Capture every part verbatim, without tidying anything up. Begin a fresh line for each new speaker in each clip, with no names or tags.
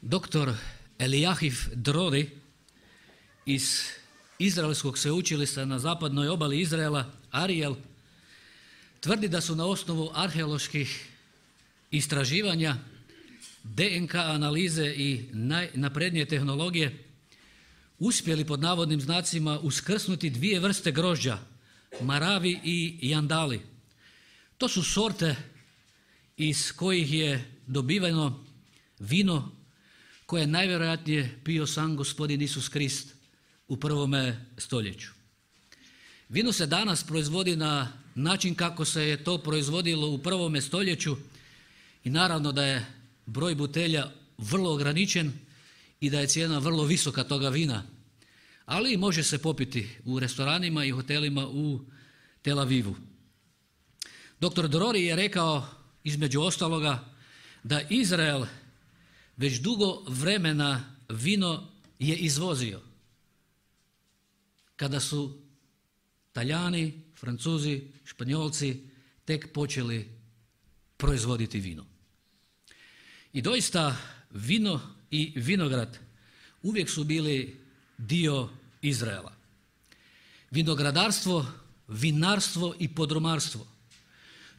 Doktor Elijahiv Drori iz Izraelskog sveučilišta na zapadnoj obali Izraela, Ariel, tvrdi da su na osnovu arheoloških istraživanja, D N K analize i najnaprednije tehnologije uspjeli pod navodnim znacima uskrsnuti dvije vrste grožđa, maravi i jandali. To su sorte iz kojih je dobiveno vino koje je najvjerojatnije pio sam gospodin Isus Krist u prvome stoljeću. Vino se danas proizvodi na način kako se je to proizvodilo u prvome stoljeću i naravno da je broj butelja vrlo ograničen i da je cijena vrlo visoka toga vina, ali može se popiti u restoranima i hotelima u Tel Avivu. Doktor Drori je rekao između ostaloga da Izrael već dugo vremena vino je izvozio. Kada su Talijani, Francuzi, Španjolci tek počeli proizvoditi vino. I doista vino i vinograd uvijek su bili dio Izraela. Vinogradarstvo, vinarstvo i podrumarstvo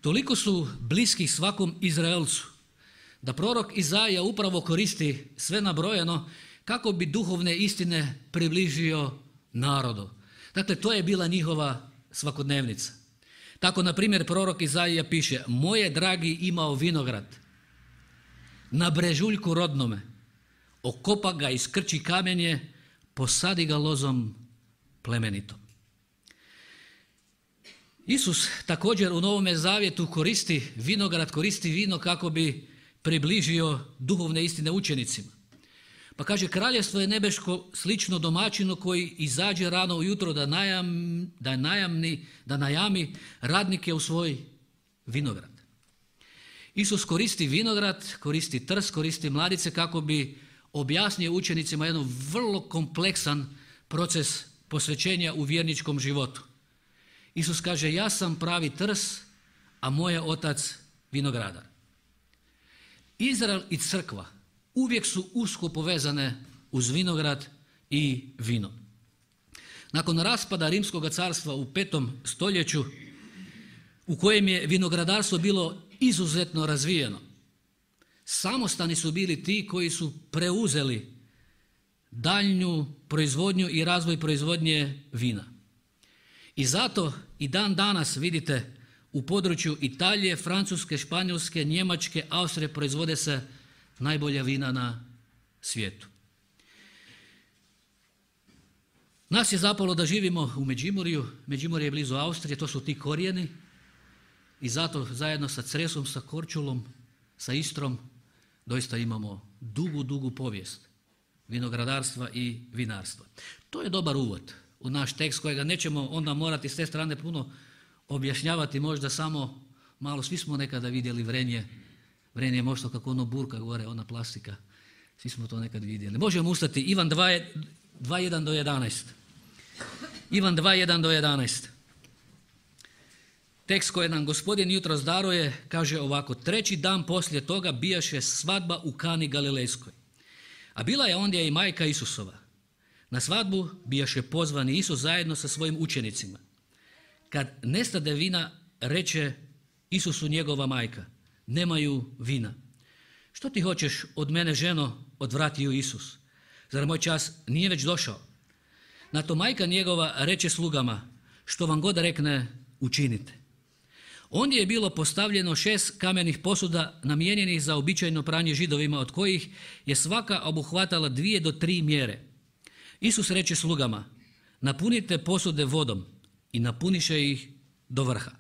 toliko su bliski svakom Izraelcu da prorok Izaija upravo koristi sve nabrojeno kako bi duhovne istine približio narodu. Dakle, to je bila njihova svakodnevnica. Tako, na primjer, prorok Izaija piše: moje dragi imao vinograd na brežuljku rodnome, okopa ga, iskrči kamenje, posadi ga lozom plemenitom. Isus također u Novome Zavjetu koristi vinograd, koristi vino kako bi približio duhovne istine učenicima. Pa kaže: kraljevstvo je nebeško slično domaćinu koji izađe rano ujutro da, najam, da, najamni, da najami radnike u svoj vinograd. Isus koristi vinograd, koristi trs, koristi mladice kako bi objasnio učenicima jedan vrlo kompleksan proces posvećenja u vjerničkom životu. Isus kaže: ja sam pravi trs, a moj je otac vinogradar. Izrael i crkva uvijek su usko povezane uz vinograd i vino. Nakon raspada Rimskog carstva u petom stoljeću, u kojem je vinogradarstvo bilo izuzetno razvijeno, samostani su bili ti koji su preuzeli daljnju proizvodnju i razvoj proizvodnje vina. I zato i dan danas vidite u području Italije, Francuske, Španjolske, Njemačke, Austrije proizvode se najbolja vina na svijetu. Nas je zapalo da živimo u Međimurju. Međimurje je blizu Austrije, to su ti korijeni i zato zajedno sa Cresom, sa Korčulom, sa Istrom doista imamo dugu, dugu povijest vinogradarstva i vinarstva. To je dobar uvod u naš tekst kojega nećemo onda morati s te strane puno objašnjavati, možda samo malo. Svi smo nekada vidjeli vrenje. Vrenje je možda kako ono burka gore, ona plastika. Svi smo to nekad vidjeli. Možemo ustati. Ivan dva jedan do jedanaest. Ivan dva jedan do jedanaest. Tekst koji nam gospodin jutros daruje kaže ovako: treći dan poslije toga bijaše svadba u Kani Galilejskoj. A bila je ondje i majka Isusova. Na svadbu bijaše pozvani Isus zajedno sa svojim učenicima. Kad nestade vina, reče Isusu njegova majka: nemaju vina. Što ti hoćeš od mene, ženo? Odvratio Isus. Zar moj čas nije već došao? Na to majka njegova reče slugama: što vam god rekne, učinite. Ondje je bilo postavljeno šest kamenih posuda namijenjenih za običajno pranje Židovima, od kojih je svaka obuhvatala dvije do tri mjere. Isus reče slugama: napunite posude vodom, i napuniše ih do vrha.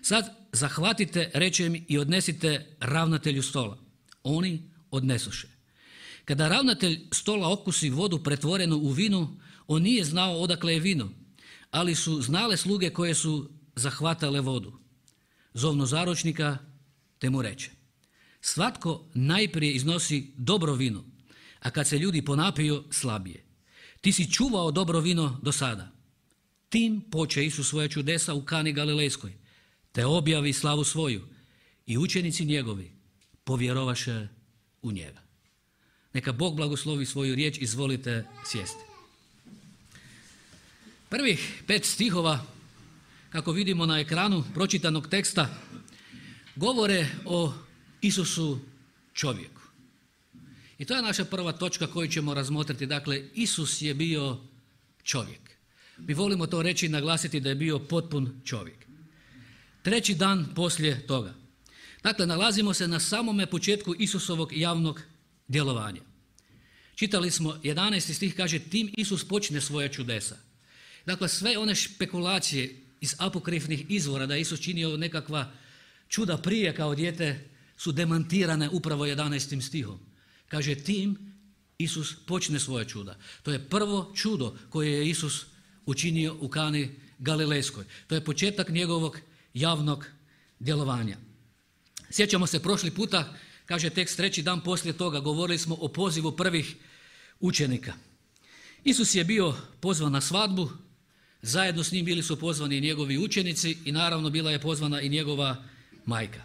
Sad zahvatite, reče im, i odnesite ravnatelju stola. Oni odnesoše. Kada ravnatelj stola okusi vodu pretvorenu u vinu, on nije znao odakle je vino, ali su znale sluge koje su zahvatale vodu. Zovno zaručnika, te mu reče: svatko najprije iznosi dobro vino, a kad se ljudi ponapiju, slabije. Ti si čuvao dobro vino do sada. Tim poče Isus svoje čudesa u Kani Galilejskoj, te objavi slavu svoju, i učenici njegovi povjerovaše u njega. Neka Bog blagoslovi svoju riječ, izvolite sjesti. Prvih pet stihova, kako vidimo na ekranu pročitanog teksta, govore o Isusu čovjeku. I to je naša prva točka koju ćemo razmotriti. Dakle, Isus je bio čovjek. Mi volimo to reći i naglasiti da je bio potpun čovjek. Treći dan poslije toga. Dakle, nalazimo se na samome početku Isusovog javnog djelovanja. Čitali smo jedanaesti stih, kaže, tim Isus počne svoja čudesa. Dakle, sve one špekulacije iz apokrifnih izvora da je Isus činio nekakva čuda prije kao dijete su demantirane upravo jedanaestim stihom. Kaže, tim Isus počne svoja čuda. To je prvo čudo koje je Isus učinio u Kani Galilejskoj. To je početak njegovog javnog djelovanja. Sjećamo se prošli puta, kaže tekst, treći dan poslije toga govorili smo o pozivu prvih učenika. Isus je bio pozvan na svadbu, zajedno s njim bili su pozvani i njegovi učenici i naravno bila je pozvana i njegova majka.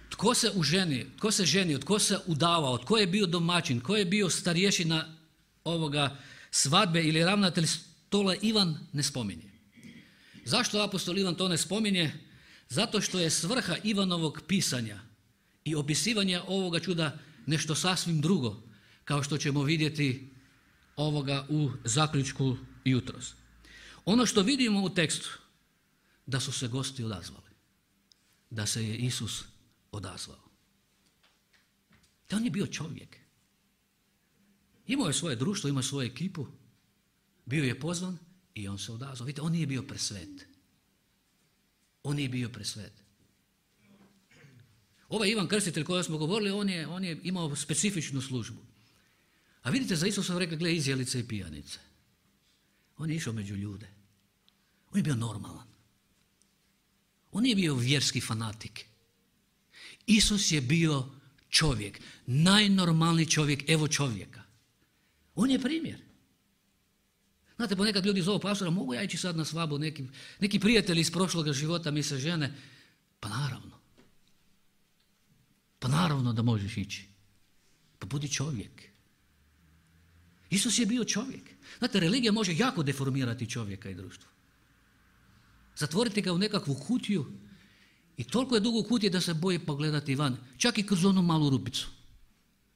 Tko se uženi, tko se ženio, tko se udavao, tko je bio domaćin, tko je bio starješina ovoga svadbe ili ravnatelj stola, Ivan ne spominje. Zašto apostol Ivan to ne spominje? Zato što je svrha Ivanovog pisanja i opisivanja ovoga čuda nešto sasvim drugo, kao što ćemo vidjeti ovoga u zaključku jutros. Ono što vidimo u tekstu, da su se gosti odazvali, da se je Isus odazvao. Da on je bio čovjek. Imao je svoje društvo, imao je svoju ekipu, bio je pozvan i on se odazvao. Vidite, on nije bio presvet. On nije bio presvet. Ovaj Ivan Krstitelj koji smo govorili, on je, on je imao specifičnu službu. A vidite, za Isusa rekli, gle, izjelice i pijanice. On je išao među ljude. On je bio normalan. On nije bio vjerski fanatik. Isus je bio čovjek, najnormalniji čovjek, evo čovjeka. On je primjer. Znate, ponekad ljudi zovu pastora, mogu ja ići sad na svadbu, neki, neki prijatelji iz prošloga života mi se žene. Pa naravno. Pa naravno da možeš ići. Pa budi čovjek. Isus je bio čovjek. Znate, religija može jako deformirati čovjeka i društvo. Zatvoriti ga u nekakvu kutiju i toliko je dugo u kutiji da se boji pogledati van. Čak i kroz onu malu rupicu.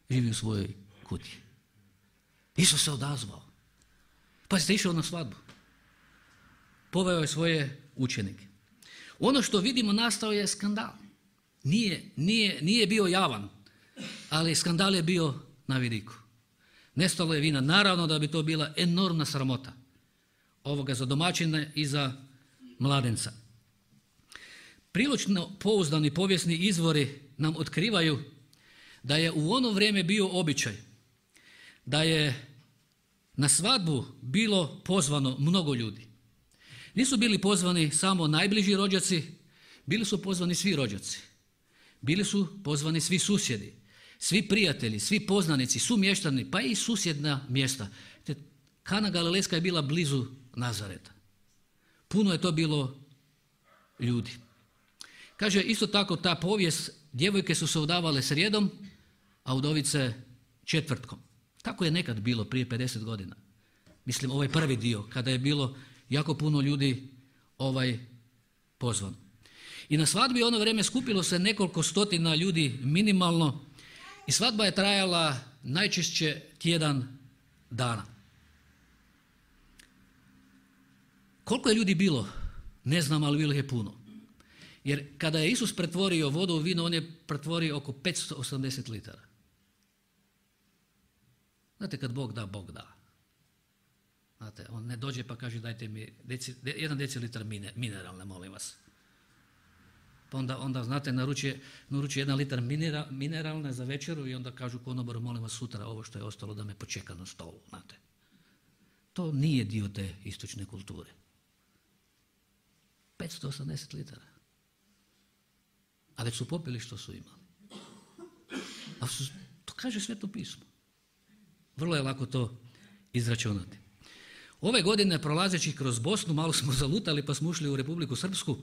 Živi u svojoj kutiji. Isus se odazvao. Pa ste išao na svadbu. Poveo je svoje učenike. Ono što vidimo, nastao je skandal. Nije, nije, nije bio javan, ali skandal je bio na vidiku. Nestalo je vina. Naravno da bi to bila enormna sramota ovoga za domaćine i za mladenca. Prilično pouzdani povijesni izvori nam otkrivaju da je u ono vrijeme bio običaj da je na svadbu bilo pozvano mnogo ljudi. Nisu bili pozvani samo najbliži rođaci, bili su pozvani svi rođaci. Bili su pozvani svi susjedi, svi prijatelji, svi poznanici, sumještani, pa i susjedna mjesta. Kana Galilejska je bila blizu Nazareta. Puno je to bilo ljudi. Kaže isto tako ta povijest, djevojke su se udavale srijedom, a udovice četvrtkom. Tako je nekad bilo prije pedeset godina. Mislim, ovaj prvi dio, kada je bilo jako puno ljudi ovaj pozvan. I na svadbi ono vrijeme skupilo se nekoliko stotina ljudi minimalno i svadba je trajala najčešće tjedan dana. Koliko je ljudi bilo? Ne znam, ali bilo je puno. Jer kada je Isus pretvorio vodu u vino, on je pretvorio oko petsto osamdeset litara. Znate, kad Bog da, Bog da. Znate, on ne dođe pa kaže dajte mi deci, jedan decilitar mineralne, molim vas. Pa onda, onda znate, naručuje, naručuje jedan litar minera, mineralne za večeru i onda kažu konobaru, molim vas sutra ovo što je ostalo da me počeka na stolu. Znate. To nije dio te istočne kulture. petsto osamdeset litara. A već su popili što su imali. A su, to kaže Sveto pismo. Vrlo je lako to izračunati. Ove godine prolazeći kroz Bosnu malo smo zalutali pa smo ušli u Republiku Srpsku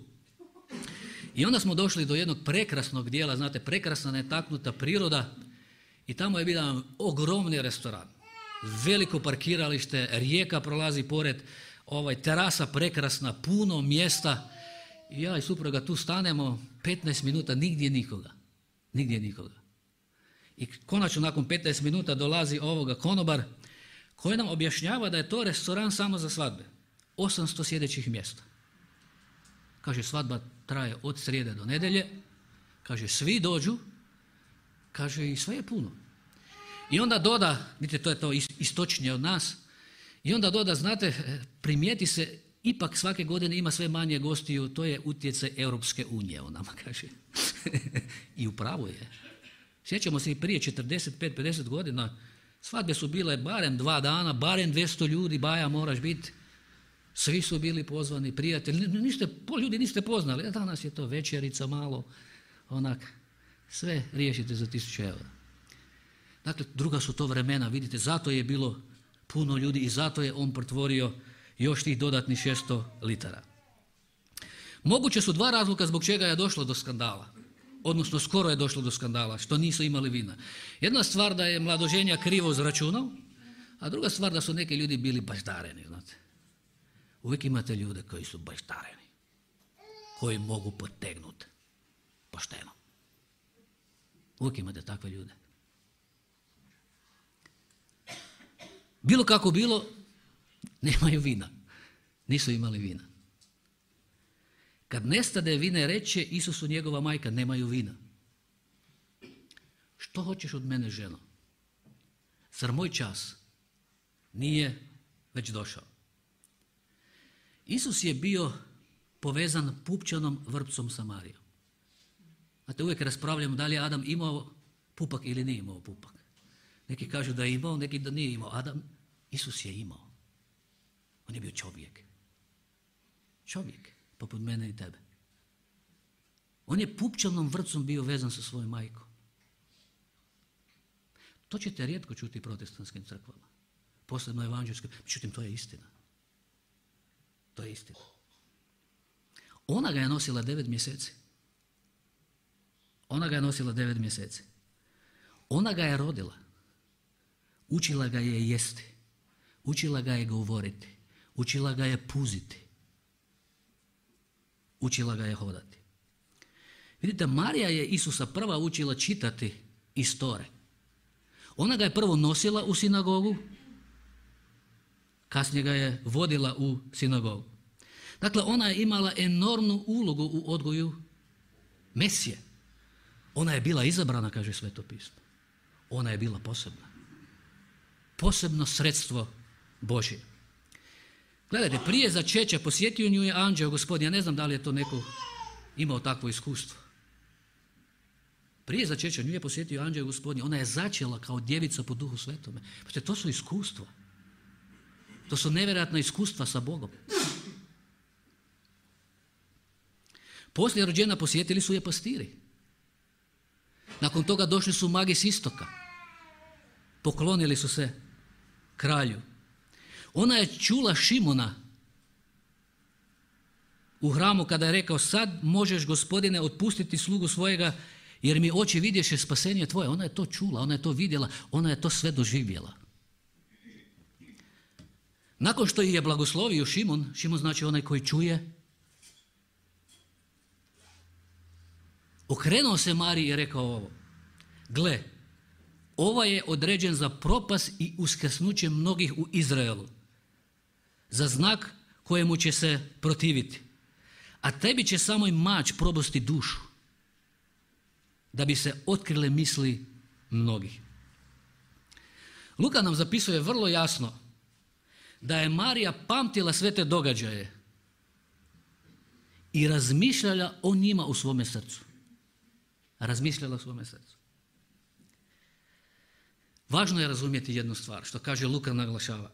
i onda smo došli do jednog prekrasnog dijela, znate, prekrasna netaknuta priroda I tamo je bio ogromni restoran, veliko parkiralište, rijeka prolazi pored, ovaj, terasa prekrasna, puno mjesta. I ja i supruga tu stanemo petnaest minuta, nigdje nikoga. Nigdje nikoga. I konačno nakon petnaest minuta dolazi ovoga konobar koji nam objašnjava da je to restoran samo za svadbe. osamsto sjedećih mjesta. Kaže, svadba traje od srijede do nedjelje. Kaže, svi dođu. Kaže, i sve je puno. I onda doda, vidite, to je to istočnije od nas, i onda doda, znate, primijeti se, ipak svake godine ima sve manje gostiju, to je utjecaj Europske unije, on nama kaže. I upravo je. Sjećamo se i prije četrdeset pet pedeset godina, svadbe su bile barem dva dana, barem dvjesto ljudi, baja moraš biti. Svi su bili pozvani, prijatelji, niste, pol ljudi niste poznali, a danas je to večerica malo, onak, sve riješite za tisuću eura. Dakle, druga su to vremena, vidite, zato je bilo puno ljudi i zato je on pretvorio još tih dodatnih šesto litara. Moguće su dva razloga zbog čega je došlo do skandala, odnosno skoro je došlo do skandala, što nisu imali vina. Jedna stvar da je mladoženja krivo zračunao, a druga stvar da su neki ljudi bili baždareni, znate. Uvijek imate ljude koji su baždareni, koji mogu potegnuti pošteno. Uvijek imate takve ljude. Bilo kako bilo, nemaju vina. Nisu imali vina. Kad nestade vina, reče Isusu njegova majka, nemaju vina. Što hoćeš od mene, ženo? Zar moj čas nije već došao? Isus je bio povezan pupčanom vrpcom Samarijom. Znate, uvijek raspravljamo da li je Adam imao pupak ili nije imao pupak. Neki kažu da je imao, neki da nije imao. Adam, Isus je imao. On je bio čovjek. Čovjek, poput mene i tebe. On je pupčanom vrpcom bio vezan sa svojom majkom. To ćete rijetko čuti protestantskim crkvama. Posebno evanđelskim. Međutim, to je istina. To je istina. Ona ga je nosila devet mjeseci. Ona ga je nosila devet mjeseci. Ona ga je rodila. Učila ga je jesti. Učila ga je govoriti. Učila ga je puziti. Učila ga je hodati. Vidite, Marija je Isusa prva učila čitati iz Tore. Ona ga je prvo nosila u sinagogu, kasnije ga je vodila u sinagogu. Dakle, ona je imala enormnu ulogu u odgoju Mesije. Ona je bila izabrana, kaže Sveto pismo. Ona je bila posebna. Posebno sredstvo Božje. Gledajte, prije začeća posjetio nju je anđeo Gospodin. Ja ne znam da li je to neko imao takvo iskustvo. Prije začeća nju je posjetio anđeo Gospodin. Ona je začela kao djevica po Duhu Svetome. Znači, to su iskustva. To su nevjerojatna iskustva sa Bogom. Poslije rođena posjetili su je pastiri. Nakon toga došli su magi s istoka. Poklonili su se kralju. Ona je čula Šimona u hramu kada je rekao, sad možeš, Gospodine, otpustiti slugu svojega jer mi oči vidješe spasenje tvoje. Ona je to čula, ona je to vidjela, ona je to sve doživjela. Nakon što je blagoslovio Šimon, Šimon znači onaj koji čuje, okrenuo se Mariji i rekao ovo, gle, ova je određen za propast i uskrsnuće mnogih u Izraelu, za znak kojemu će se protiviti. A tebi će samo i mač probosti dušu, da bi se otkrile misli mnogih. Luka nam zapisuje vrlo jasno da je Marija pamtila sve te događaje i razmišljala o njima u svome srcu. Razmišljala u svome srcu. Važno je razumjeti jednu stvar, što kaže Luka naglašava.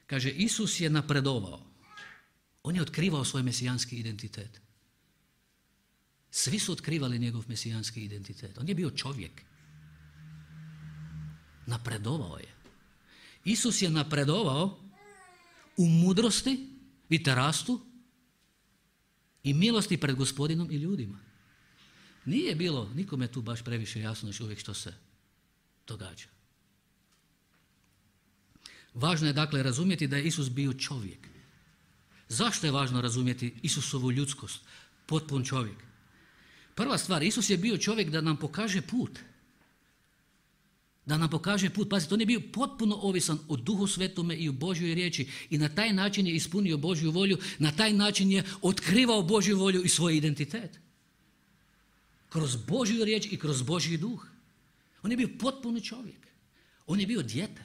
Kaže, Isus je napredovao. On je otkrivao svoj mesijanski identitet. Svi su otkrivali njegov mesijanski identitet. On je bio čovjek. Napredovao je. Isus je napredovao u mudrosti, vidite, rastu i milosti pred Gospodinom i ljudima. Nije bilo nikome tu baš previše jasno još uvijek što se događa. Važno je dakle razumjeti da je Isus bio čovjek. Zašto je važno razumjeti Isusovu ljudskost? Potpun čovjek. Prva stvar, Isus je bio čovjek da nam pokaže put. Da nam pokaže put. Pazite, on je bio potpuno ovisan o Duhu Svetome i o Božjoj riječi i na taj način je ispunio Božju volju, na taj način je otkrivao Božju volju i svoj identitet. Kroz Božju riječ i kroz Božji duh. On je bio potpuni čovjek. On je bio dijete.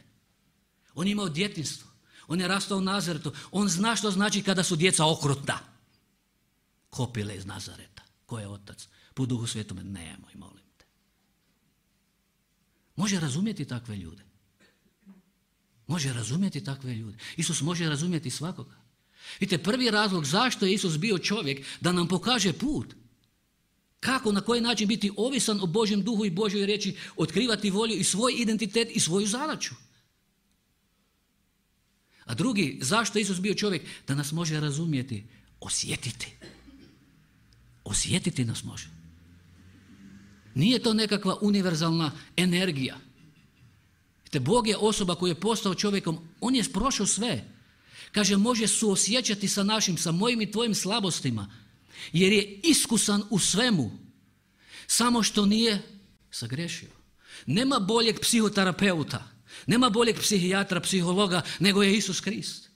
On je imao djetinjstvo. On je rastao u Nazaretu. On zna što znači kada su djeca okrutna. Kopile iz Nazareta. Ko je otac? Po Duhu Svetome. Nemoj, molim te. Može razumjeti takve ljude. Može razumjeti takve ljude. Isus može razumjeti svakoga. Vidite, prvi razlog zašto je Isus bio čovjek, da nam pokaže put. Kako, na koji način biti ovisan o Božjem duhu i Božjoj riječi, otkrivati volju i svoj identitet i svoju zadaću. A drugi, zašto je Isus bio čovjek? Da nas može razumjeti, osjetiti. Osjetiti nas može. Nije to nekakva univerzalna energija. Vidite, Bog je osoba koja je postao čovjekom, on je prošao sve. Kaže, može suosjećati sa našim, sa mojim i tvojim slabostima, jer je iskusan u svemu, samo što nije sagrešio. Nema boljeg psihoterapeuta, nema boljeg psihijatra, psihologa, nego je Isus Krist.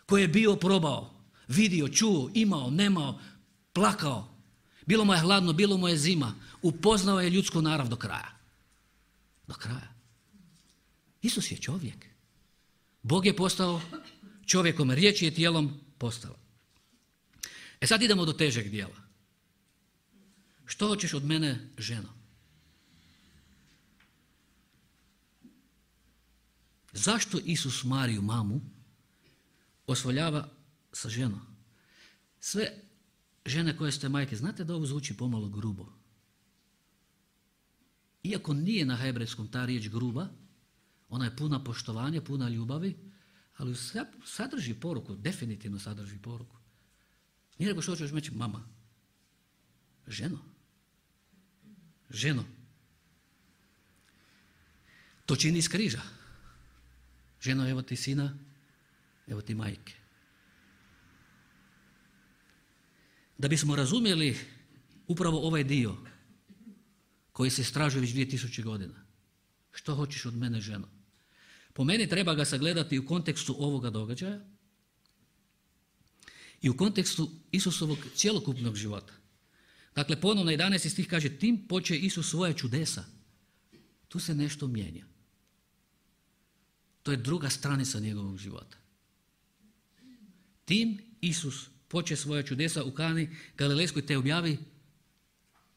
Koji je bio probao, vidio, čuo, imao, nemao, plakao. Bilo mu je hladno, bilo mu je zima. Upoznao je ljudsku narav do kraja. Do kraja. Isus je čovjek. Bog je postao čovjekom, riječ je tijelom postala. E sad idemo do težeg dijela. Što hoćeš od mene, ženo? Zašto Isus Mariju, mamu, osvoljava sa ženom? Sve žene koje ste majke, znate da ovo zvuči pomalo grubo. Iako nije na hebrejskom ta riječ gruba, ona je puna poštovanja, puna ljubavi, ali sadrži poruku, definitivno sadrži poruku. Nije nego što ćeš reći, mama, ženo, ženo, to čini iz križa. Ženo, evo ti sina, evo ti majke. Da bismo razumjeli upravo ovaj dio koji se istražuje već dvije tisuće godina. Što hoćeš od mene, ženo? Po meni treba ga sagledati u kontekstu ovoga događaja i u kontekstu Isusovog cjelokupnog života. Dakle, ponovno jedanaesti stih kaže, tim poče Isus svoje čudesa. Tu se nešto mijenja. To je druga stranica njegovog života. Tim Isus poče svoje čudesa u Kani Galilejskoj te objavi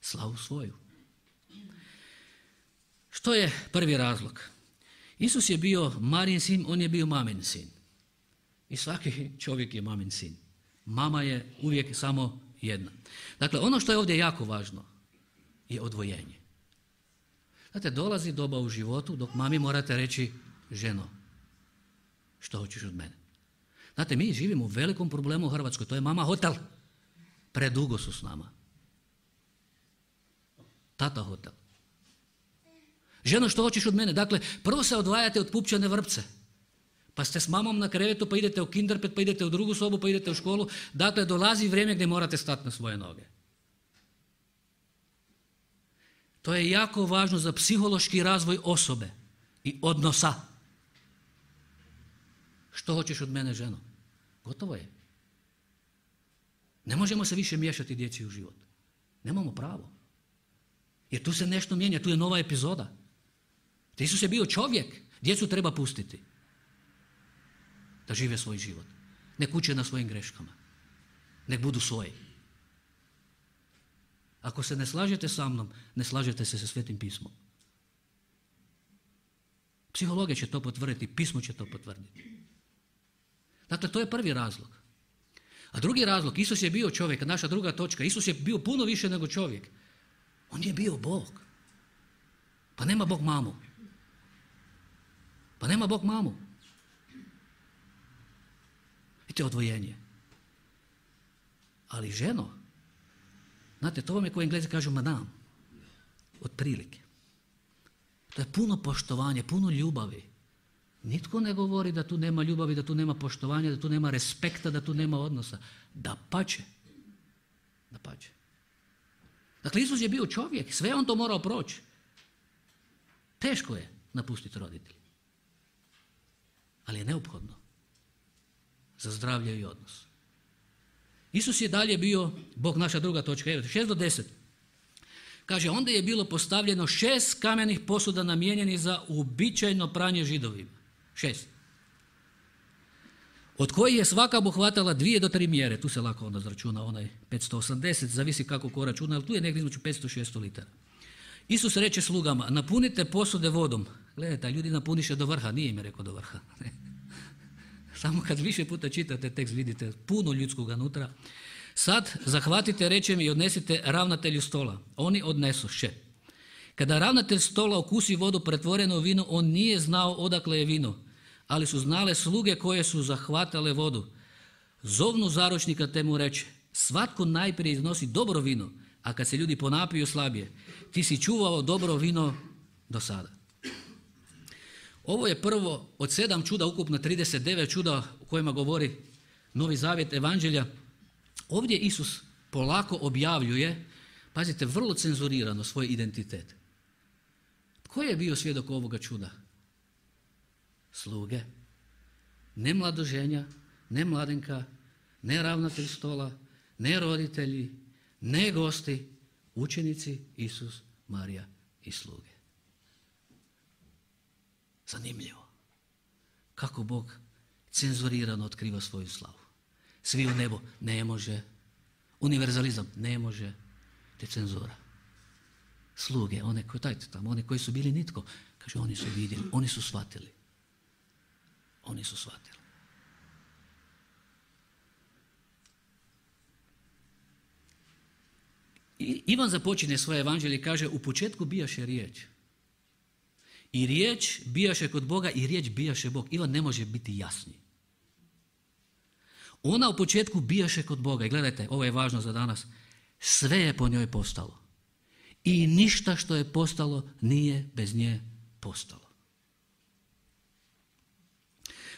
slavu svoju. Što je prvi razlog? Isus je bio Marin sin, on je bio mamin sin. I svaki čovjek je mamin sin. Mama je uvijek samo jedna. Dakle, ono što je ovdje jako važno je odvojenje. Znate, dolazi doba u životu dok mami morate reći, ženo, što hoćeš od mene? Znate, mi živimo u velikom problemu u Hrvatskoj, to je mama hotel. Predugo su s nama. Tata hotel. Ženo, što hoćeš od mene? Dakle, prvo se odvajate od pupčane vrpce. Pa ste s mamom na krevetu, pa idete u kinderpet, pa idete u drugu sobu, pa idete u školu. Dakle, dolazi vrijeme gdje morate stati na svoje noge. To je jako važno za psihološki razvoj osobe i odnosa. Što hoćeš od mene, ženo? Gotovo je. Ne možemo se više miješati djeci u život. Nemamo pravo. Jer tu se nešto mijenja, tu je nova epizoda. Isus je bio čovjek, djecu treba pustiti da žive svoj život. Nek uče na svojim greškama. Nek budu svoji. Ako se ne slažete sa mnom, ne slažete se sa Svetim pismom. Psihologija će to potvrditi, pismo će to potvrditi. Dakle, to je prvi razlog. A drugi razlog, Isus je bio čovjek, naša druga točka, Isus je bio puno više nego čovjek. On je bio Bog. Pa nema Bog mamu. Pa nema Bog mamu. Vidite, odvojenje. Ali ženo, znate, to vam je koji Englezi kažu madame, otprilike. To je puno poštovanja, puno ljubavi. Nitko ne govori da tu nema ljubavi, da tu nema poštovanja, da tu nema respekta, da tu nema odnosa. Dapače. Dapače. Dakle, Isus je bio čovjek, sve on to morao proći. Teško je napustiti roditelje. Ali je neophodno za zdravlje i odnos. Isus je dalje bio, Bog naša druga točka, evo, šest do deset. Kaže, onda je bilo postavljeno šest kamenih posuda namijenjenih za uobičajeno pranje Židovima. Šest. Od kojih je svaka obuhvatala dvije do tri mjere. Tu se lako onda zračuna onaj petsto osamdeset, zavisi kako ko računa, ali tu je negdje između petsto i šesto litara. Isus reče slugama, napunite posude vodom. Gledajte, ljudi napuniše do vrha, nije im rekao do vrha. Samo kad više puta čitate tekst vidite puno ljudskog unutra. Sad zahvatite, reče mi, i odnesite ravnatelju stola. Oni odnesoše. Kada ravnatelj stola okusi vodu pretvorenu u vino, on nije znao odakle je vino, ali su znale sluge koje su zahvatale vodu. Zovnu zaručnika te mu reče, svatko najprije iznosi dobro vino, a kad se ljudi ponapiju slabije, ti si čuvao dobro vino do sada. Ovo je prvo od sedam čuda, ukupno trideset devet čuda o kojima govori Novi Zavjet Evanđelja. Ovdje Isus polako objavljuje, pazite, vrlo cenzurirano svoj identitet. Tko je bio svjedok ovoga čuda? Sluge. Ne mladoženja, ne mladenka, ne ravnatelj stola, ne roditelji, ne gosti, učenici, Isus, Marija i sluge. Zanimljivo. Kako Bog cenzurirano otkriva svoju slavu. Svi u nebo, ne može. Univerzalizam, ne može. Te cenzura. Sluge, one koji, dajte tamo, one koji su bili nitko, kaže, oni su vidjeli, oni su shvatili. Oni su shvatili. I Ivan započinje svoje evanđelje i kaže, u početku bijaše riječ. I riječ bijaše kod Boga i riječ bijaše Bog. Ivan ne može biti jasniji. Ona u početku bijaše kod Boga. I gledajte, ovo je važno za danas. Sve je po njoj postalo. I ništa što je postalo nije bez nje postalo.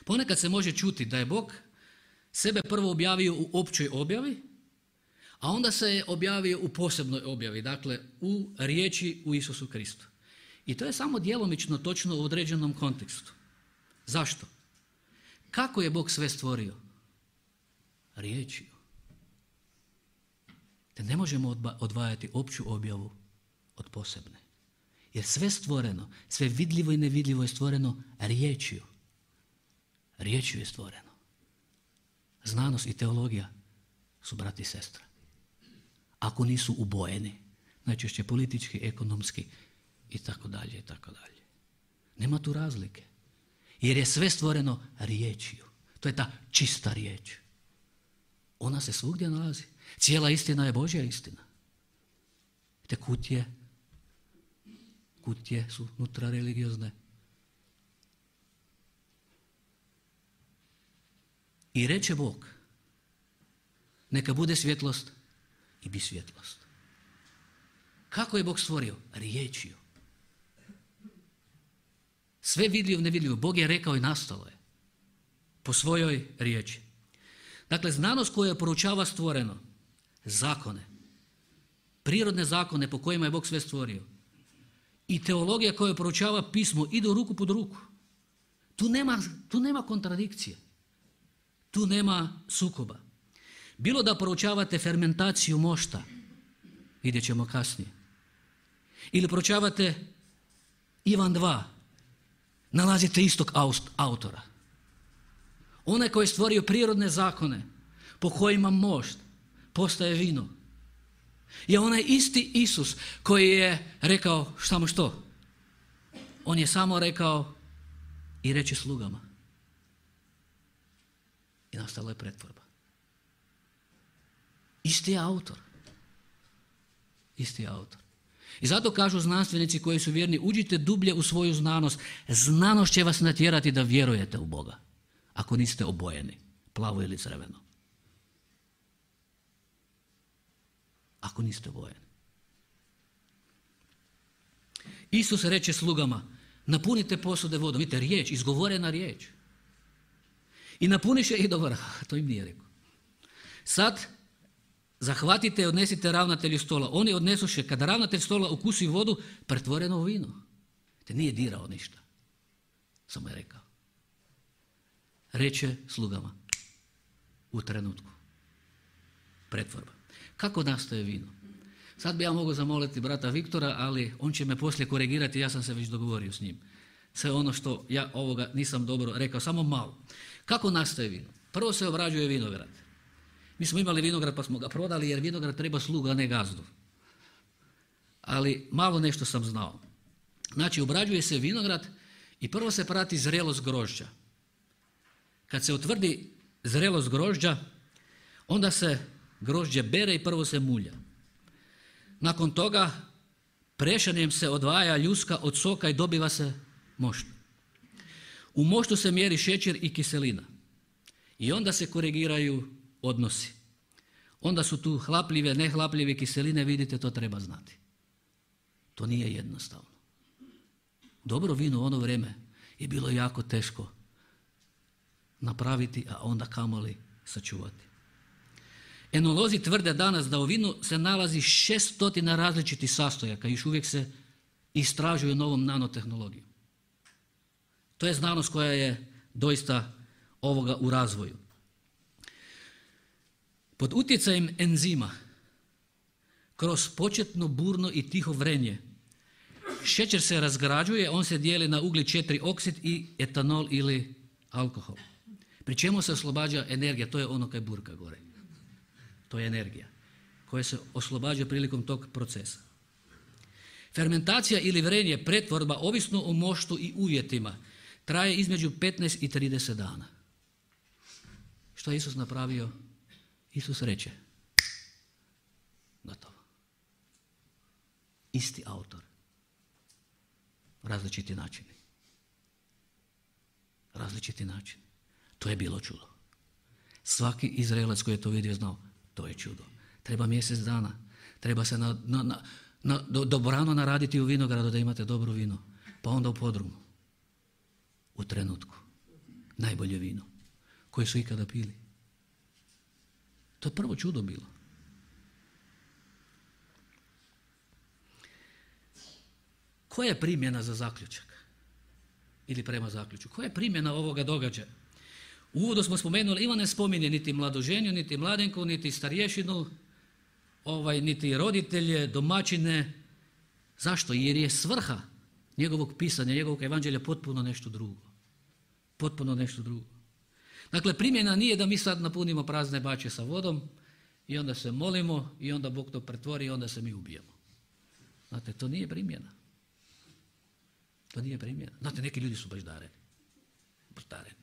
Ponekad se može čuti da je Bog sebe prvo objavio u općoj objavi, a onda se je objavio u posebnoj objavi, dakle u riječi u Isusu Kristu. I to je samo djelomično točno u određenom kontekstu. Zašto? Kako je Bog sve stvorio? Riječju. Te ne možemo odvajati opću objavu od posebne. Jer sve stvoreno, sve vidljivo i nevidljivo je stvoreno riječju. Riječju je stvoreno. Znanost i teologija su brati i sestre. Ako nisu ubojeni, najčešće politički, ekonomski i tako dalje i tako dalje. Nema tu razlike. Jer je sve stvoreno riječju. To je ta čista riječ. Ona se svugdje nalazi. Cijela istina je Božja istina. Te kutije, kutije su unutra religiozne. I reče Bog, neka bude svjetlost i bi svjetlost. Kako je Bog stvorio? Riječju. Sve vidljivo, nevidljivo. Bog je rekao i nastalo je. Po svojoj riječi. Dakle, znanost koja proučava stvoreno, zakone, prirodne zakone po kojima je Bog sve stvorio i teologija koja proučava pismo idu ruku pod ruku. Tu nema, tu nema kontradikcije. Tu nema sukoba. Bilo da proučavate fermentaciju mošta, vidjet ćemo kasnije, ili proučavate Ivan dva, nalazite istog autora. Onaj koji je stvorio prirodne zakone po kojima mošt postaje vino. Je onaj isti Isus koji je rekao, samo što? On je samo rekao i reče slugama. I nastala je pretvorba. Isti je autor. Isti je autor. I zato kažu znanstvenici koji su vjerni, uđite dublje u svoju znanost. Znanost će vas natjerati da vjerujete u Boga. Ako niste obojeni, plavo ili crveno. Ako niste obojeni. Isus reče slugama, napunite posude vodom. Vidite, riječ, izgovorena riječ. I napuniše ih do vrha. To im nije rekao. Sad zahvatite i odnesite ravnatelju stola. Oni odnesuše, kada ravnatelj stola ukusi vodu, pretvoreno u vino. Te nije dirao ništa. Samo je rekao. Reče slugama. U trenutku. Pretvorba. Kako nastaje vino? Sad bi ja mogao zamoliti brata Viktora, ali on će me poslije korigirati, ja sam se već dogovorio s njim. Sve ono što ja ovoga nisam dobro rekao, samo malo. Kako nastaje vino? Prvo se obrađuje vinograd. Mi smo imali vinograd pa smo ga prodali jer vinograd treba sluga, a ne gazdu. Ali malo nešto sam znao. Znači, obrađuje se vinograd i prvo se prati zrelost grožđa. Kad se utvrdi zrelost grožđa, onda se grožđe bere i prvo se mulja. Nakon toga prešanjem se odvaja ljuska od soka i dobiva se mošt. U moštu se mjeri šećer i kiselina. I onda se korigiraju odnosi. Onda su tu hlapljive, nehlapljive kiseline, vidite, to treba znati. To nije jednostavno. Dobro vino u ono vrijeme je bilo jako teško napraviti, a onda kamoli sačuvati. Enolozi tvrde danas da u vinu se nalazi šestotina različitih sastojaka i još uvijek se istražuju novom nanotehnologijom. To je znanost koja je doista ovoga u razvoju. Pod utjecajem enzima, kroz početno burno i tiho vrenje, šećer se razgrađuje, on se dijeli na ugljik četiri oksid i etanol ili alkohol. Pri čemu se oslobađa energija, to je ono kaj burka gore. To je energija koja se oslobađa prilikom tog procesa. Fermentacija ili vrenje, pretvorba, ovisno o moštu i uvjetima, traje između petnaest i trideset dana. Što je Isus napravio? Isus reče, gotovo. Isti autor. Različiti načini. Različiti načini. To je bilo čudo. Svaki Izraelac koji je to vidio znao, to je čudo. Treba mjesec dana. Treba se na, na, na, na, do, dobrano naraditi u vinogradu da imate dobro vino. Pa onda u podrumu. U trenutku. Najbolje vino koje su ikada pili. To je prvo čudo bilo. Koja je primjena za zaključak? Ili prema zaključku? Koja je primjena ovoga događaja? U uvodu smo spomenuli, Ivan ne spominje niti mladoženju, niti mladenku, niti starješinu, ovaj, niti roditelje, domaćine. Zašto? Jer je svrha njegovog pisanja, njegovog evanđelja potpuno nešto drugo. Potpuno nešto drugo. Dakle, primjena nije da mi sad napunimo prazne bače sa vodom i onda se molimo i onda Bog to pretvori i onda se mi ubijemo. Znate, to nije primjena. To nije primjena. Znate, neki ljudi su baš dareni. Baš dareni.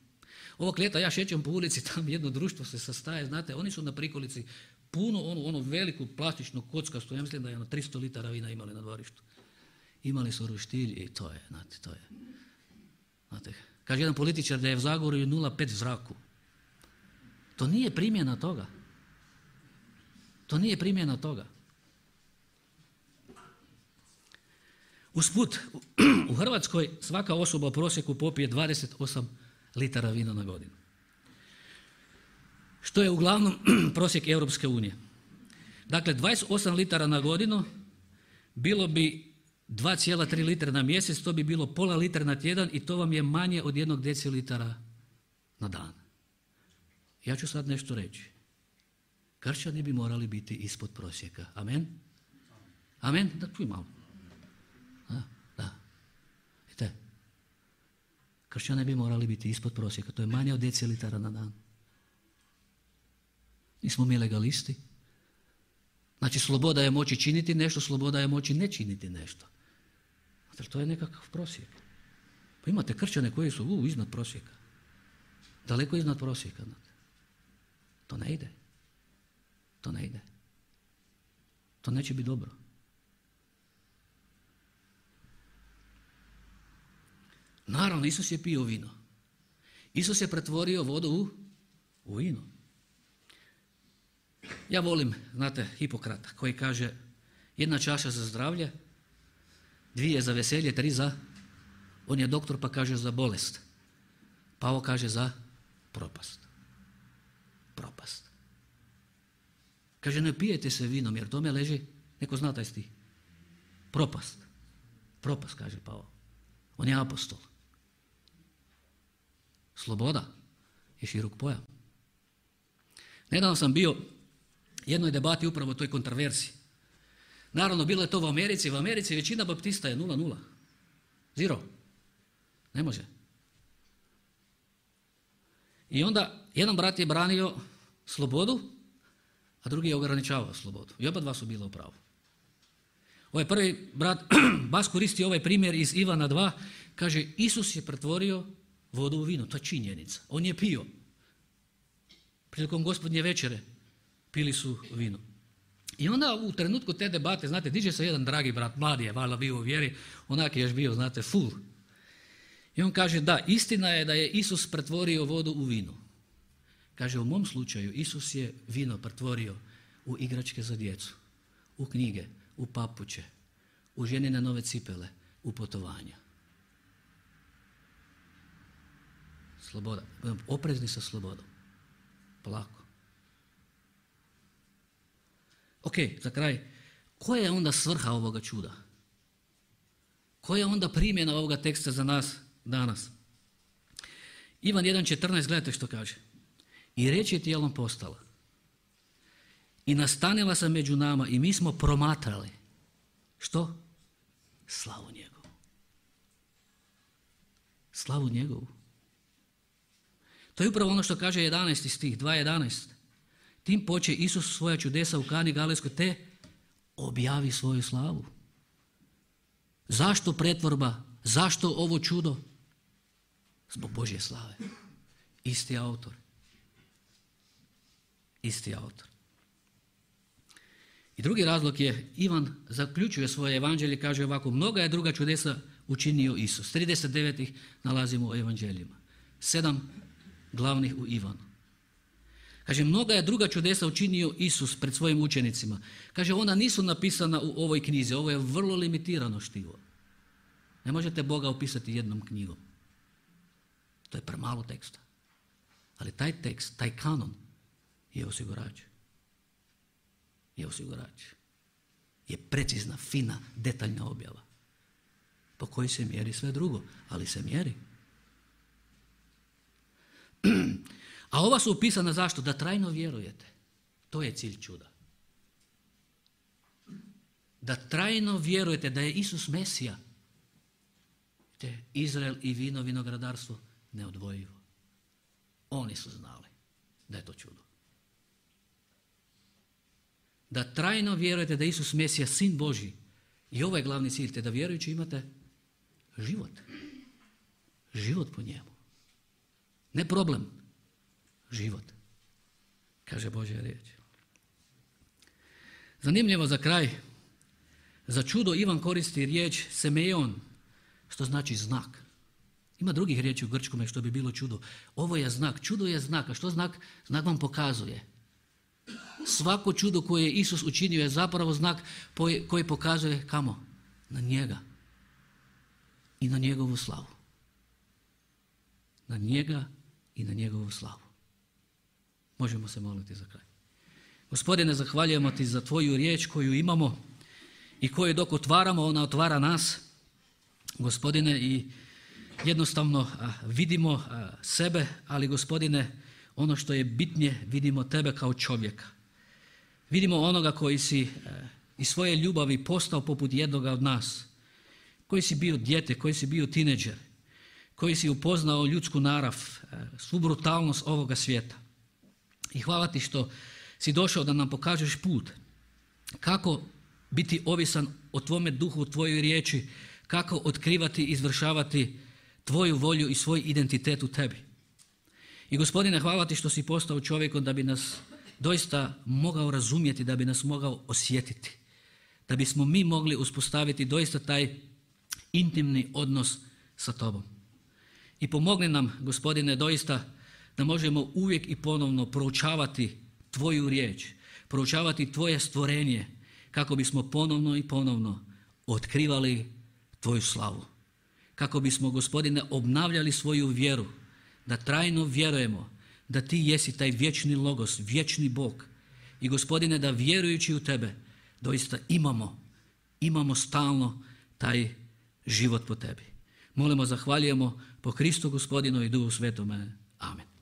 Ovog ljeta ja šećem po ulici, tam jedno društvo se sastaje, znate, oni su na prikolici puno onu, onu veliku plastičnu kockastu, ja mislim da je ono tristo litara vina imali na dvorištu. Imali su roštilj i to je, znate, to je. Znate, kaže jedan političar da je u Zagorju nula zarez pet zraku. To nije primjena toga. To nije primjena toga. Usput, u Hrvatskoj svaka osoba u prosjeku popije dvadeset osam litara vina na godinu. Što je uglavnom prosjek Europske unije. Dakle, dvadeset osam litara na godinu bilo bi dva zarez tri litra na mjesec, to bi bilo pola litra na tjedan i to vam je manje od jednog decilitara na dan. Ja ću sad nešto reći. Kršćani bi morali biti ispod prosjeka. Amen? Amen? Da, čuj malo. Da, da. Vidite, kršćani bi morali biti ispod prosjeka. To je manje od decilitara na dan. Nismo mi legalisti. Znači, sloboda je moći činiti nešto, sloboda je moći ne činiti nešto. Znači, to je nekakav prosjek. Pa imate kršćane koji su u, iznad prosjeka. Daleko iznad prosjeka. Znate. To ne ide. To ne ide. To neće biti dobro. Naravno, Isus je pio vino. Isus je pretvorio vodu u, u vino. Ja volim, znate, Hipokrata koji kaže jedna čaša za zdravlje, dvije za veselje, tri za... On je doktor pa kaže za bolest. Pavo kaže za propast. Propast. Kaže ne pijete se vinom jer tome leži, neko zna taj stih. Propast. Propast, kaže Pavo. On je apostol. Sloboda je širok pojam. Nedavno sam bio jednoj debati upravo o toj kontroverziji. Naravno, bilo je to u Americi. U Americi većina baptista je nula nula. Zero. Ne može. I onda jedan brat je branio slobodu, a drugi je ograničavao slobodu. I oba dva su bila u pravu. Ovaj prvi brat bas koristi ovaj primjer iz Ivana dva. Kaže, Isus je pretvorio vodu u vino. To je činjenica. On je pio. Prilikom gospodnje večere pili su vino. I onda u trenutku te debate, znate, diže se jedan dragi brat, mladi je, valjda bio u vjeri, onak je još bio, znate, full. I on kaže, da, istina je da je Isus pretvorio vodu u vino. Kaže, u mom slučaju Isus je vino pretvorio u igračke za djecu, u knjige, u papuče, u ženine nove cipele, u putovanja. Sloboda. Oprezni sa slobodom. Polako. Ok, za kraj. Koja je onda svrha ovoga čuda? Koja je onda primjena ovoga teksta za nas danas? Ivan jedan četrnaest, gledajte što kaže. I riječ je tijelom postala. I nastanila se među nama i mi smo promatrali. Što? Slavu njegovu. Slavu njegovu. To je upravo ono što kaže jedanaesti stih, dva jedanaest. Tim poče Isus svoja čudesa u Kani Galilejskoj te objavi svoju slavu. Zašto pretvorba? Zašto ovo čudo? Zbog Božje slave. Isti autor. Isti autor. I drugi razlog je, Ivan zaključuje svoje evanđelje, kaže ovako, mnoga je druga čudesa učinio Isus. trideset devet ih nalazimo u evanđeljima. Sedam glavnih u Ivanu. Kaže, mnoga je druga čudesa učinio Isus pred svojim učenicima. Kaže, ona nisu napisana u ovoj knjizi, ovo je vrlo limitirano štivo. Ne možete Boga opisati jednom knjigom. To je premalo teksta. Ali taj tekst, taj kanon je osigurač. Je osigurač. Je precizna, fina, detaljna objava. Po kojoj se mjeri sve drugo, ali se mjeri. A ova su upisana zašto? Da trajno vjerujete. To je cilj čuda. Da trajno vjerujete da je Isus Mesija. Te Izrael i vino, vinogradarstvo neodvojivo. Oni su znali da je to čudo. Da trajno vjerujete da je Isus Mesija, Sin Božji. I ovo je glavni cilj, te da vjerujući imate život. Život po njemu. Ne problem. Život. Kaže Božja riječ. Zanimljivo za kraj. Za čudo Ivan koristi riječ semeion, što znači znak. Ima drugih riječi u grčkome što bi bilo čudo. Ovo je znak. Čudo je znak. A što znak? Znak vam pokazuje. Svako čudo koje je Isus učinio je zapravo znak koji pokazuje kamo? Na njega. I na njegovu slavu. Na njega i na njegovu slavu. Možemo se moliti za kraj. Gospodine, zahvaljujemo ti za tvoju riječ koju imamo i koju dok otvaramo, ona otvara nas. Gospodine, i jednostavno a, vidimo a, sebe, ali Gospodine, ono što je bitnije, vidimo tebe kao čovjeka. Vidimo onoga koji si a, iz svoje ljubavi postao poput jednoga od nas, koji si bio dijete, koji si bio tineđer, koji si upoznao ljudsku narav, a, svu brutalnost ovoga svijeta. I hvala ti što si došao da nam pokažeš put, kako biti ovisan o tvome duhu, o tvojoj riječi, kako otkrivati i izvršavati tvoju volju i svoj identitet u tebi. I Gospodine, hvala ti što si postao čovjekom da bi nas doista mogao razumjeti, da bi nas mogao osjetiti, da bismo mi mogli uspostaviti doista taj intimni odnos sa tobom. I pomogni nam, Gospodine, doista da možemo uvijek i ponovno proučavati tvoju riječ, proučavati tvoje stvorenje, kako bismo ponovno i ponovno otkrivali tvoju slavu. Kako bismo, Gospodine, obnavljali svoju vjeru, da trajno vjerujemo da ti jesi taj vječni logos, vječni Bog. I Gospodine, da vjerujući u tebe doista imamo, imamo stalno taj život po tebi. Molimo, zahvaljujemo po Kristu Gospodinu i Duhu Svetome. Amen.